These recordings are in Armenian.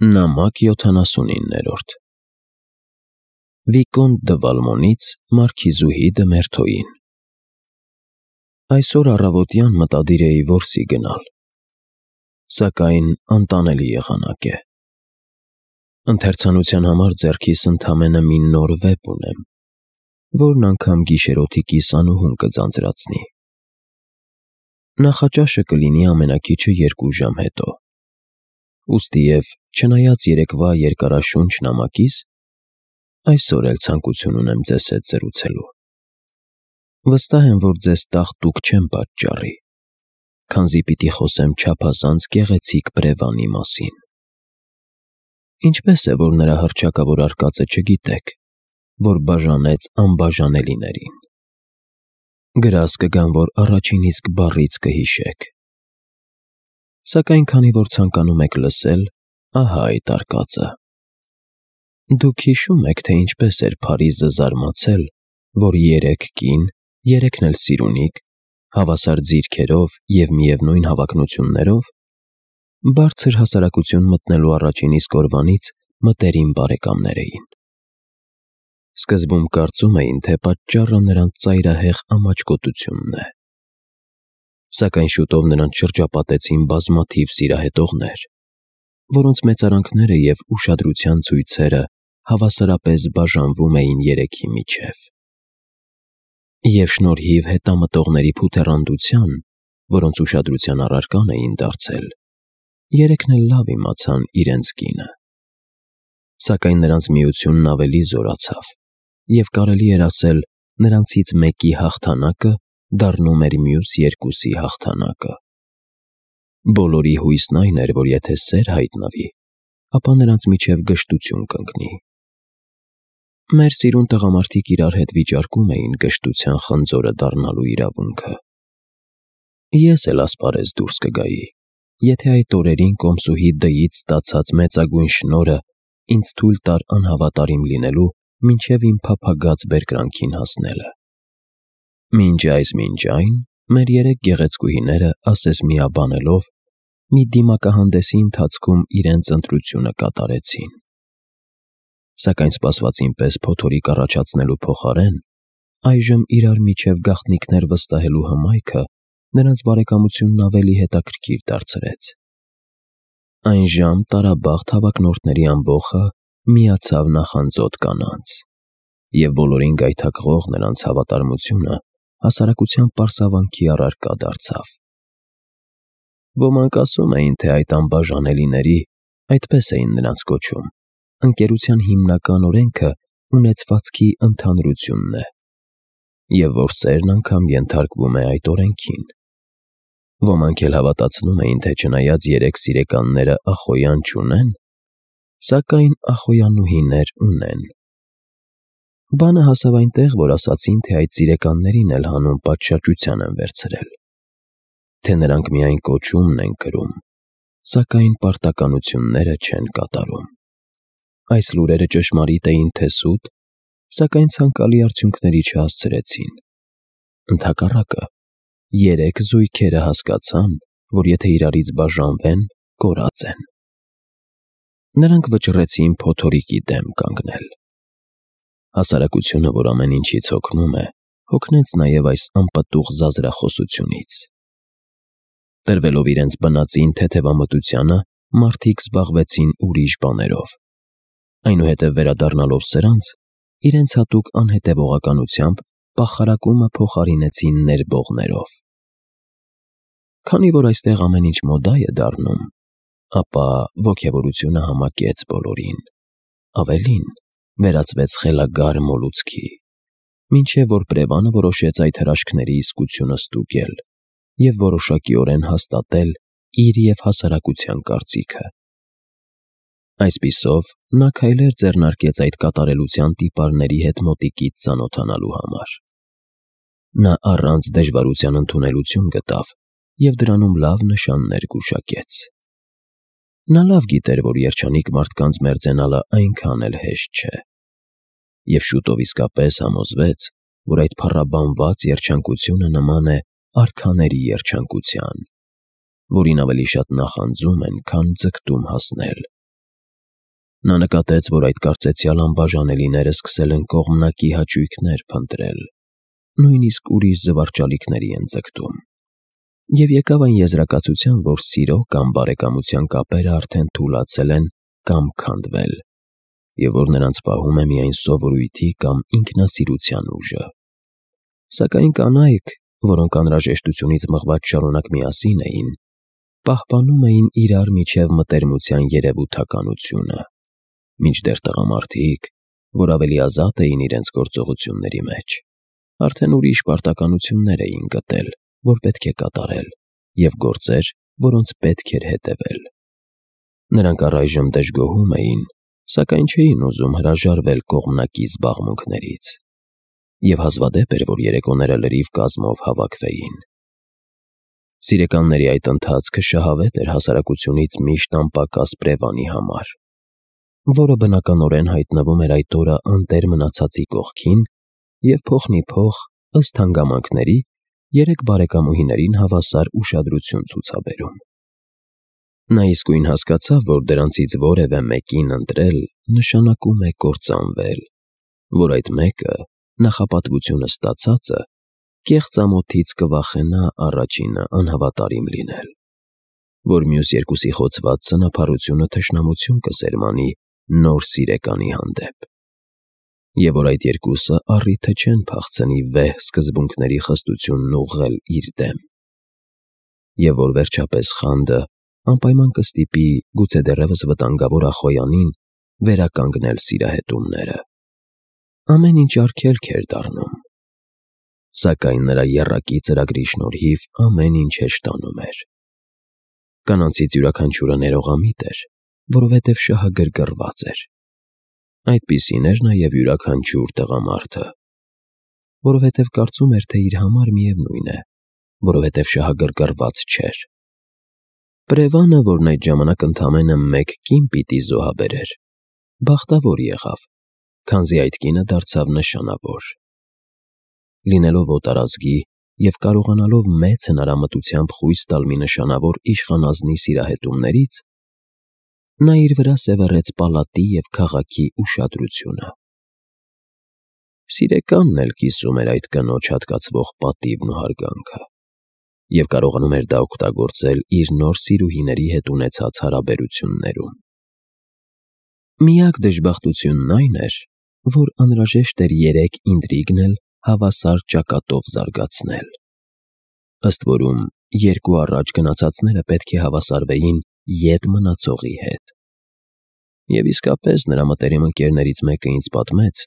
Նամակ 79-րդ Վիկոնտ դը Վալմոնից մարքիզուհի դը Մերթոյին։ Այսօր առավոտյան մտադիր էի որսի գնալ, սակայն անտանելի եղանակ է։ Ընթերցանության համար ձեռքիս ընդամենը մի նոր վեպ ունեմ, որն անգամ գիշերօթիկիս անուհուն կձանձրացնի։ Նախաճաշը կլինի ամենաքիչը 2 ժամ հետո։ Ուստիև, չնայած երեկվա երկարաշունչ նամակիս, այսօր էլ ցանկություն ունեմ ձեզ հետ զրուցելու։ Վստահ եմ, որ ձեզ տաղտուկ չեմ պատճառի, քանզի պիտի խոսեմ չափազանց գեղեցիկ բրևանի մասին։ Ինչպես է, որ նրա հռչակավոր արկածը չգիտեք, որ բաժանեց անբաժանելիներին։ Գրազ կգան, որ առաջին իսկ բառից կհիշեք։ Սակայն քանի որ ցանկանում եք լսել, ահա այդ արկածը։ Դուք հիշո՞ւմ եք, թե ինչպես էր Փարիզը զարմացել, որ 3 կին, 3-ն էլ սիրունիկ, հավասար ձիրքերով և միևնույն հավակնություններով, բարձր հասարակություն մտնելու առաջին իսկ օրվանից մտերիմ բարեկամներ էին։ Սկզբում կարծում էին, թե պատճառը նրանց ծայրահեղ ամաչկոտությունն է։ Սակայն շուտով նրանց շրջապատեցին բազմաթիվ սիրահետողներ, որոնց մեծարանքները և ուշադրության ցույցերը հավասարապես բաժանվում էին 3-ի միջև։ Եվ շնորհիվ հետամտողների փութեռանդության, որոնց ուշադրության առարկան էին դարձել, 3-ն էլ լավ իմացան իրենց կինը։ Սակայն նրանց միությունն ավելի զորացավ, և կարելի էր ասել, նրանցից մեկի հաղթանակը դառնում էր մյուս 2-ի հաղթանակը։ Բոլորի հույսն այն էր, որ եթե սեր հայտնվի, ապա նրանց միջև գժտություն կընկնի։ Մեր սիրուն տղամարդիկ իրար հետ վիճարկում էին գժտության խնձորը դառնալու իրավունքը։ Ես էլ ասպարեզ դուրս կգայի, եթե այդ օրերին կոմսուհի D-ից ստացած մեծագույն շնորհը ինձ թույլ տար անհավատարիմ լինելու մինչև իմ փափագած բերկրանքին հասնելը։ Մինչ այն, մեր 3 գեղեցկուհիները ասես միաբանելով, մի դիմակահանդեսի ընթացքում իրենց ընտրությունը կատարեցին։ Սակայն սպասվածին պես փոթորիկ առաջացնելու փոխարեն, այժմ իրար միջև գաղտնիքներ վստահելու հմայքը նրանց բարեկամությունն ավելի հետաքրքիր դարձրեց։ Այն ժամ տարաբաղտ հավակնորդների ամբոխը միացավ նախանձոտ կանանց, և բոլորին գայթակղող նրանց հավատարմությունը հասարակության պարսավանքի առարկա դարձավ։ Ոմանք ասում էին, թե այդ անբաժանելիների, այդպես էին նրանց կոչում, ընկերության հիմնական օրենքը ունեցվածքի ընդհանրությունն է, և որ սերն անգամ ենթարկվում է այդ օրենքին։ Ոմանք էլ հավատացնում էին, թե չնայած 3 սիրեկանները ախոյան չունեն, սակայն ախոյանուհիներ ունեն։ Բանը հասավ այնտեղ, որ ասացին, թե այդ սիրեկաններին էլ հանուն պատշաճության են վերցրել, թե նրանք միայն կոչումն են կրում, սակայն պարտականությունները չեն կատարում։ Այս լուրերը ճշմարիտ էին թե սուտ, սակայն ցանկալի արդյունքների չհասցրեցին։ Ընդհակառակը, 3 զույգերը հասկացան, որ եթե իրարից բաժանվեն, կորած են։ Նրանք վճռեցին փոթորիկի դեմ կանգնել։ Հասարակությունը, որ ամեն ինչից հոգնում է, հոգնեց նաև այս անպտուղ զազրախոսությունից։ Տրվելով իրենց բնածին թեթևամտությանը, մարդիկ զբաղվեցին ուրիշ բաներով, այնուհետև վերադառնալով սրանց, իրենց հատուկ անհետևողականությամբ պախարակումը փոխարինեցին ներբողներով։ Քանի որ այստեղ ամեն ինչ մոդա է դառնում, ապա ոգևորությունը համակեց բոլորին, ավելին, վերածվեց խելագար մոլուցքի, մինչև որ Պրևանը որոշեց այդ հրաշքների իսկությունը ստուգել և որոշակիորեն հաստատել իր և հասարակության կարծիքը։ Այսպիսով, նա քայլեր ձեռնարկեց այդ կատարելության տիպարների հետ մոտիկից ծանոթանալու համար։ Նա առանց դժվարության ընդունելություն գտավ և դրանում լավ նշաններ գուշակեց։ Նա լավ գիտեր, որ երջանիկ մարդկանց մերձենալը այնքան էլ հեշտ չէ, և շուտով իսկապես համոզվեց, որ այդ փառաբանված երջանկությունը նման է արքաների երջանկության, որին ավելի շատ նախանձում են, քան ձգտում հասնել, Նա նկատեց, որ այդ կարծեցյալ անբաժանելիները սկսել են կողմնակի հաճույքներ փնտրել, նույնիսկ ուրիշ զվարճալիքների են ձգտում։ Եվ եկավ այն եզրակացության, որ սիրո կամ բարեկամության կապերը արդեն թուլացել են կամ քանդվել, և որ նրանց պահում է միայն սովորույթի կամ ինքնասիրության ուժը։ Սակայն կանայք, որոնք անհրաժեշտությունից մղված շարունակ միասին էին, պահպանում էին իրար միջև մտերմության երևութականությունը, մինչդեռ տղամարդիկ, որ ավելի ազատ էին իրենց գործողությունների մեջ, արդեն ուրիշ պարտականություններ էին գտել, որ պետք է կատարել, և գործեր, որոնց պետք էր հետևել։ Նրանք առայժմ դժգոհում էին, սակայն չէին ուզում հրաժարվել կողմնակի զբաղմունքներից, և հազվադեպ էր, որ երեկոները լրիվ կազմով հավաքվեին։ Սիրեկանների այդ ընթացքը շահավետ էր հասարակությունից միշտ անպակաս Պրևանի համար, որը բնականորեն հայտնվում էր այդ օրը անտեր մնացածի կողքին և փոխնիփոխ, ըստ հանգամանքների, երեք բարեկամուհիներին հավասար ուշադրություն ցուցաբերում։ Նա իսկույն հասկացավ, որ դրանցից որևէ մեկին ընտրել նշանակում է կործանվել, որ այդ մեկը, նախապատվությունը ստացածը, կեղծ ամոթից կվախենա առաջինը անհավատարիմ լինել, որ մյուս երկուսի խոցված սնափառությունը թշնամություն կսերմանի նոր սիրեկանի հանդեպ, և որ այդ երկուսը առիթը չեն փախցնի վեհ սկզբունքների խստությունն ուղղել իր դեմ, և որ վերջապես խանդը անպայման կստիպի գուցե դեռևս վտանգավոր Ախոյանին վերականգնել սիրահետումները։ Ամեն ինչ արգելք էր դառնում, սակայն նրա եռակի ծրագրի շնորհիվ ամեն ինչ հեշտանում էր։ Կանանցից յուրաքանչյուրը ներողամիտ էր, որովհետև շահագրգռված էր։ Այդպիսին էր նաև յուրաքանչյուր տղամարդը, որովհետև կարծում էր, թե իր համար միևնույն է, որովհետև շահագրգռված չէր։ Պրևանը, որն այդ ժամանակ ընդամենը մեկ կին պիտի զոհաբերեր, բախտավոր եղավ, քանզի այդ կինը դարձավ նշանավոր։ Լինելով օտարազգի և կարողանալով մեծ հնարամտությամբ խույս տալ մի նշանավոր իշխանազնի սիրահետումներից, նա իր վրա սևեռեց պալատի և քաղաքի ուշադրությունը։ Սիրեկանն էլ կիսում էր այդ կնոջ հատկացվող պատիվն ու հարգանքը, և կարողանում էր դա օգտագործել իր նոր սիրուհիների հետ ունեցած հարաբերություններում։ Միակ դժբախտությունն այն էր, որ անհրաժեշտ էր երեք ինտրիգն էլ հավասար ճակատով զարգացնել։ Ըստ որում, երկու առաջ գնացածները պետք է հավասարվեին ետ մնացողի հետ։ Եվ իսկապես նրա մտերիմ ընկերներից մեկը ինձ պատմեց,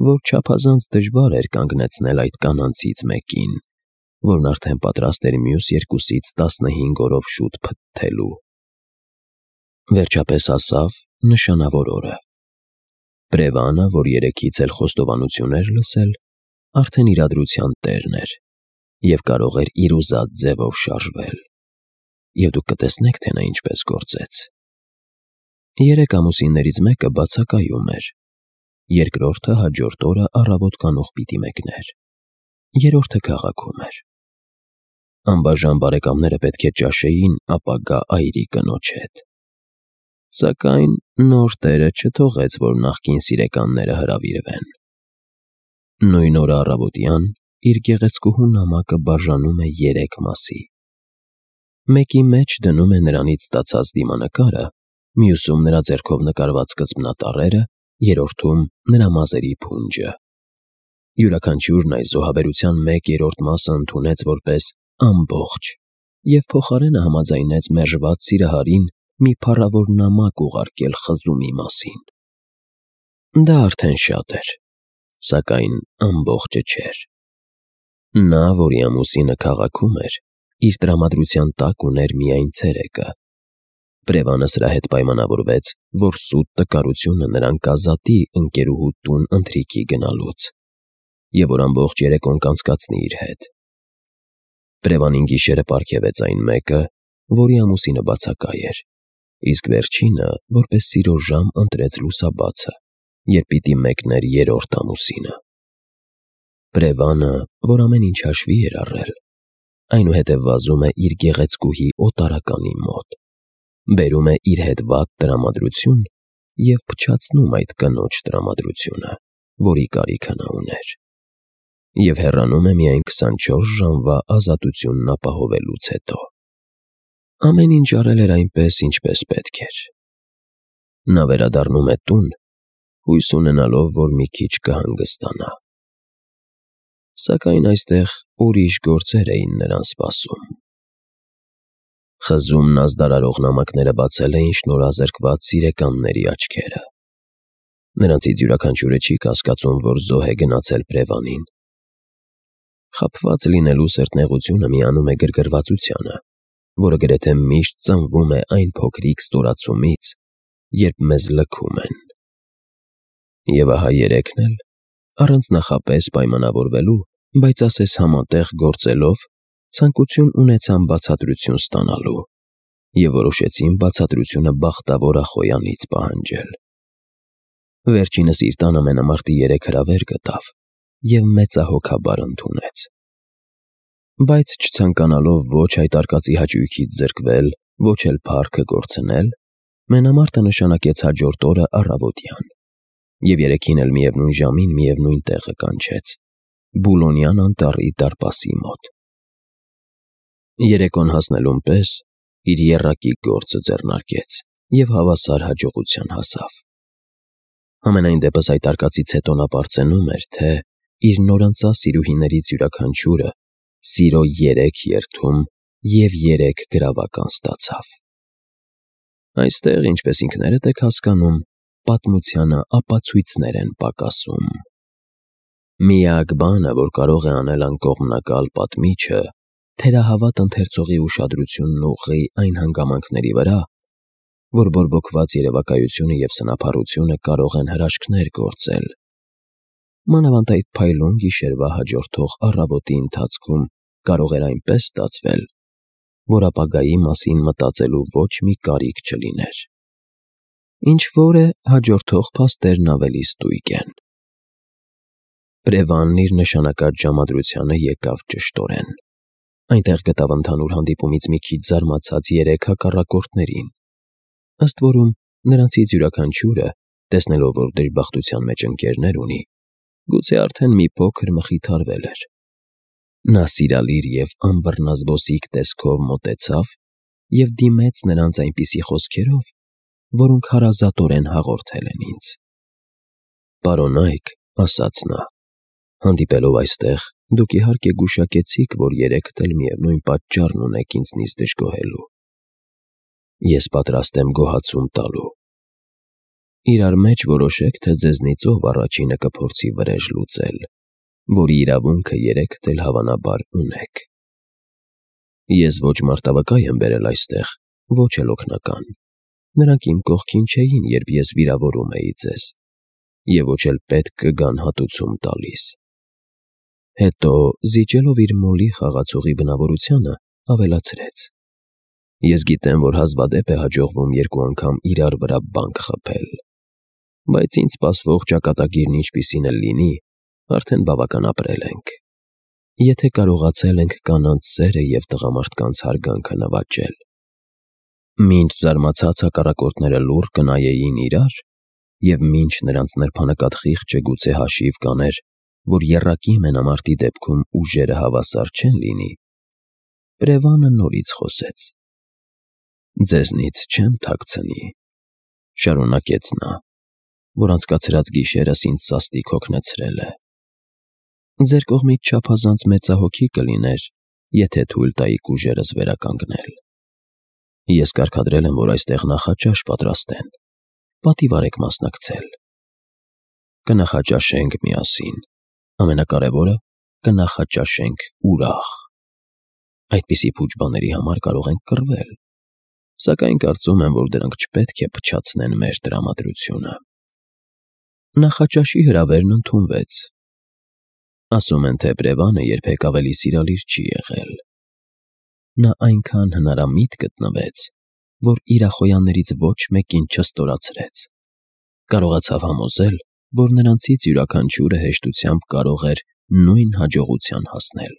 որ չափազանց դժվար էր կանգնեցնել այդ կանանցից մեկին, որն արդեն պատրաստ էր մյուս երկուսից 15 օրով շուտ փթթելու։ Վերջապես հասավ նշանավոր օրը։ Պրևանը, որ երեքից էլ խոստովանություն էր լսել, արդեն իրադրության տերն էր և կարող էր իր ուզած ձևով շարժվել, և դուք կտեսնեք, թե նա ինչպես գործեց։ 3 ամուսիններից մեկը բացակայում էր, երկրորդը հաջորդ օրը առավոտ կանուխ պիտի մեկներ, երրորդը քաղաքում էր։ Անբաժան բարեկամները պետք է ճաշեին ապագա այրի կնոջ հետ։ Սակայն նոր տերը չթողեց, որ նախկին սիրեկանները հրավիրվեն։ Նույն օրը առավոտյան իր գեղեցկուհու նամակը բաժանում է 3 մասի։ Մեկի մեջ դնում է նրանից ստացած դիմանկարը, մյուսում նրա ձեռքով նկարված սկզբնատառերը, երրորդում նրա մազերի փունջը։ Յուրաքանչյուրն այս զոհաբերության 1/3 մասը ընդունեց որպես ամբողջ և փոխարենը համաձայնեց մերժված սիրահարին մի փառավոր նամակ ուղարկել խզումի մասին։ Դա արդեն շատ էր, սակայն ամբողջը չէր։ Նա, որի ամուսինը քաղաքում էր, իր տրամադրության տակ ուներ միայն ցերեկը։ Պրևանը սրա հետ պայմանավորվեց, որ սուտ տկարությունը նրան կազատի ընկերուհու տուն ընթրիքի գնալուց, և որ ամբողջ երեկոն կանցկացնի իր հետ։ Պրևանին գիշերը պարգևեց այն մեկը, որի ամուսինը բացակայ էր, իսկ վերջինը որպես սիրո ժամ ընտրեց լուսաբացը, երբ պիտի մեկներ երրորդ ամուսինը։ Պրևանը, որ ամեն ինչ հաշվի էր առել, այնուհետև վազում է իր գեղեցկուհի օտարականի մոտ, բերում է իր հետ վատ տրամադրություն և փչացնում այդ կնոջ տրամադրությունը, որի կարիքը նա ուներ, և հեռանում է միայն 24 ժամվա ազատությունն ապահովելուց հետո։ Ամեն ինչ արել էր այնպես, ինչպես պետք էր։ Նա վերադառնում է տուն, հույս ունենալով, որ մի քիչ կհանգստանա։ Սակայն այստեղ ուրիշ գործեր էին նրան սպասում։ Խզումն ազդարարող նամակները բացել էին շնորհազրկված սիրեկանների աչքերը։ Նրանցից յուրաքանչյուրը չի կասկածում, որ զոհ է գնացել Պրևանին։ Խաբված լինելու սրտնեղությունը միանում է գրգռվածությանը, որը գրեթե միշտ ծնվում է այն փոքրիկ ստորացումից, երբ մեզ լքում են։ Եվ ահա երեքն էլ, առանց նախապես պայմանավորվելու, բայց ասես համատեղ գործելով, ցանկություն ունեցան բացատրություն ստանալու և որոշեցին բացատրությունը բախտավոր Ախոյանից պահանջել։ Վերջինս իր տան ամենամարտի 3 հրավեր գտավ և մեծահոգաբար ընդունեց։ Բայց չցանկանալով ոչ այդ արկածի հաճույքից զրկվել, ոչ էլ փառքը կորցնել, մենամարտը նշանակեց հաջորդ օրը առավոտյան, և երեքին էլ միևնույն ժամին միևնույն տեղը կանչեց՝ Բուլոնյան անտառի դարպասի մոտ։ Երեկոն հասնելուն պես իր եռակի գործը ձեռնարկեց և հավասար հաջողության հասավ։ Համենայն դեպս այդ արկածից հետո նա պարծենում էր, թե իր նորընծա սիրուհիներից յուրաքանչյուրը սիրո 3 երդում և 3 գրավական ստացավ։ Այստեղ, ինչպես ինքներդ եք հասկանում, պատմությանը ապացույցներ են պակասում։ Միակ բանը, որ կարող է անել անկողմնակալ պատմիչը, թերահավատ ընթերցողի ուշադրությունն ուղղի այն հանգամանքների վրա, որ բորբոքված երևակայությունը և սնափառությունը կարող են հրաշքներ գործել։ Մանավանդ այդ փայլուն գիշերվա հաջորդող առավոտի ընթացքում կարող էր այնպես ստացվել, որ ապագայի մասին մտածելու ոչ մի կարիք չլիներ։ Ինչ-որ է, հաջորդող փաստերն ավելի ստույգ են։ Պրևանն իր նշանակած ժամադրությանը եկավ ճշտորեն։ Այնտեղ գտավ ընդհանուր հանդիպումից մի քիչ զարմացած 3 հակառակորդներին։ Ըստ որում, նրանցից յուրաքանչյուրը, տեսնելով, որ դժբախտության մեջ ընկերներ ունի, գուցե արդեն մի փոքր մխիթարվել էր։ Նա սիրալիր և անբռնազբոսիկ տեսքով մոտեցավ և դիմեց նրանց այնպիսի խոսքերով, որոնք հարազատորեն հաղորդել են ինձ։ «Պարոնայք», ասաց նա, «հանդիպելով այստեղ, դուք իհարկե գուշակեցիք, որ երեքդ էլ միևնույն պատճառն ունեք ինձնից դժգոհելու։ Ես պատրաստ եմ գոհացում տալու։ Իրար մեջ որոշեք, թե ձեզնից ով առաջինը կփորձի վրեժ լուծել, որի իրավունքը երեքդ էլ հավանաբար ունեք։ Ես ոչ մարտավկա եմ բերել այստեղ, ոչ էլ օգնական։ Նրանք իմ կողքին չէին, երբ ես վիրավորում էի ձեզ, և ոչ էլ պետք կգան հատուցում տալիս»։ Հետո, զիջելով իր մոլի խաղացողի բնավորությանը, ավելացրեց. «Ես գիտեմ, որ հազվադեպ է հաջողվում 2 անգամ իրար վրա բանկ խփել, բայց ինձ սպասվող ճակատագիրն ինչպիսին էլ լինի, արդեն բավական ապրել ենք։ Եթե կարողացել ենք կանանց սերը և տղամարդկանց հարգանքը նվաճել»։ Մինչ զարմացած հակառակորդները լուռ կնայեին իրար, և մինչ նրանց նրբանկատ խիղճը գուցե հաշիվ կաներ, որ եռակի մենամարտի դեպքում ուժերը հավասար չեն լինի, Պրևանը նորից խոսեց. «Ձեզնից չեմ թաքցնի», շարունակեց նա, «որ անցկացրած գիշերս ինձ սաստիկ հոգնեցրել է։ Ձեր կողմից չափազանց մեծահոգի կլիներ, եթե թույլ տայիք ուժերս վերականգնել։ Ես կարգադրել եմ, որ այստեղ նախաճաշ պատրաստեն, պատիվ արեք մասնակցել։ Կնախաճաշենք միասին, ամենակարևորը՝ կնախաճաշենք ուրախ։ Այդպիսի փուչ բաների համար կարող ենք կռվել, սակայն կարծում եմ, որ դրանք չպետք է փչացնեն մեր տրամադրությունը»։ Նախաճաշի հրավերն ընդունվեց։ Ասում են, թե Պրևանը երբեք ավելի սիրալիր չի եղել։ Նա այնքան հնարամիտ գտնվեց, որ իր ախոյաններից ոչ մեկին չստորացրեց։ Կարողացավ համոզել, որ նրանցից յուրաքանչյուրը հեշտությամբ կարող էր նույն հաջողության հասնել։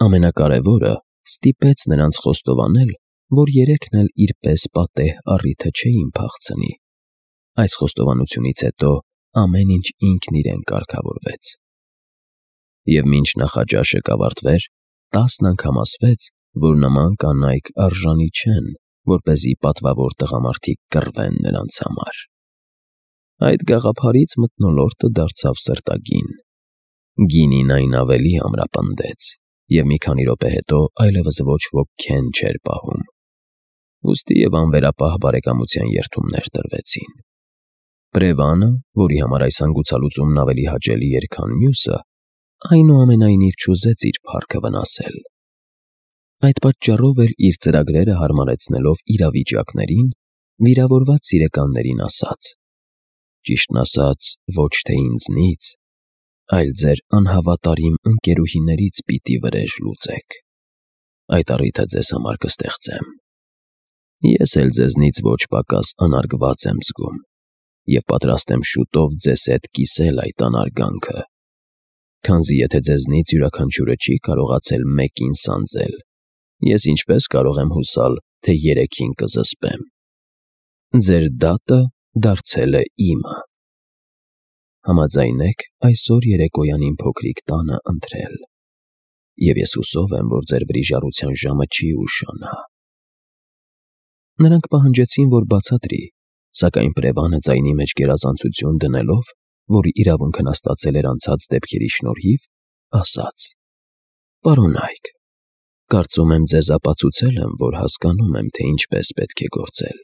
Ամենակարևորը, ստիպեց նրանց խոստովանել, որ երեքն էլ իր պես պատեհ առիթը չէին փախցնի, Այս խոստովանությունից հետո ամեն ինչ ինքն իրեն կարգավորվեց։ Եվ մինչ նախաճաշը կավարտվեր, 10 անգամ ասվեց, որ նման կանայք արժանի չեն, որպեսզի պատվավոր տղամարդիկ կռվեն նրանց համար։ Այդ գաղափարից մթնոլորտը դարձավ սրտագին։ Գինին այն ավելի ամրապնդեց, և մի քանի րոպե հետո այլևս ոչ ոք քեն չէր պահում։ Ուստի և անվերապահ բարեկամության երդումներ տրվեցին։ Պրևանը, որի համար այս հանգուցալուծումն ավելի հաճելի էր, քան մյուսը, այնուամենայնիվ չուզեց իր փառքը վնասել։ Այդ պատճառով էլ իր ծրագրերը հարմարեցնելով իրավիճակներին, վիրավորված սիրեկաններին ասաց. «Ճիշտն ասած, ոչ թե ինձնից, այլ ձեր անհավատարիմ ընկերուհիներից պիտի վրեժ լուծեք։ Այդ առիթը ձեզ համար կստեղծեմ։ Ես էլ ձեզնից ոչ պակաս անարգված եմ զգում և պատրաստ եմ շուտով ձեզ հետ կիսել այդ անարգանքը, քանզի եթե ձեզնից յուրաքանչյուրը չի կարողացել մեկին սանձել, ես ինչպես կարող եմ հուսալ, թե երեքին կզսպեմ։ Ձեր դատը դարձել է իմը։ Համաձայնեք այսօր երեկոյան իմ փոքրիկ տանը ընթրել, և ես հուսով եմ, որ ձեր վրիժառության ժամը չի ուշանա»։ Նրանք պահանջեցին, որ բացատրի, սակայն Պրևանը ձայնի մեջ գերազանցություն դնելով, որի իրավունքն ստացել էր անցած դեպքերի շնորհիվ, ասաց. «Պարոնայք, կարծում եմ ձեզ ապացուցել եմ, որ հասկանում եմ, թե ինչպես պետք է գործել։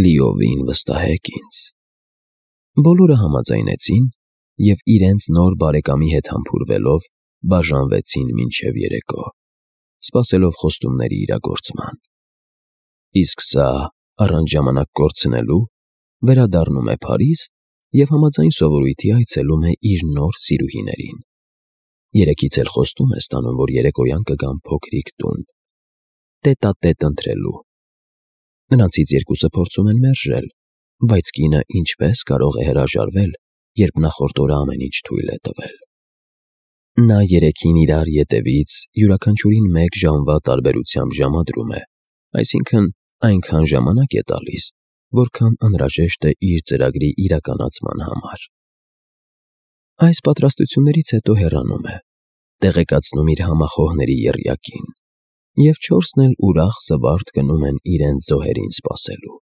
Լիովին վստահեք ինձ»։ Բոլորը համաձայնեցին և իրենց նոր բարեկամի հետ համբուրվելով բաժանվեցին մինչև երեկո, սպասելով խոստումների իրագործման։ Իսկ սա, առանց ժամանակ կորցնելու, վերադառնում է Փարիզ և համաձայն սովորույթի այցելում է իր նոր սիրուհիներին։ Երեքից էլ խոստում է ստանում, որ երեկոյան կգան փոքրիկ տուն, տետատետ ընթրելու։ Նրանցից երկուսը փորձում են մերժել, բայց կինը ինչպես կարող է հրաժարվել, երբ նախորդ օրը ամեն ինչ թույլ է տվել։ Նա երեքին իրար ետևից յուրաքանչյուրին 1 ժամվա տարբերությամբ ժամադրում է, այսինքն այնքան ժամանակ է տալիս, որքան անհրաժեշտ է իր ծրագրի իրականացման համար։ Այս պատրաստություններից հետո հեռանում է, տեղեկացնում իր համախոհների եռյակին, և 4-ն էլ ուրախ զվարթ գնում են իրենց զոհերին սպասելու։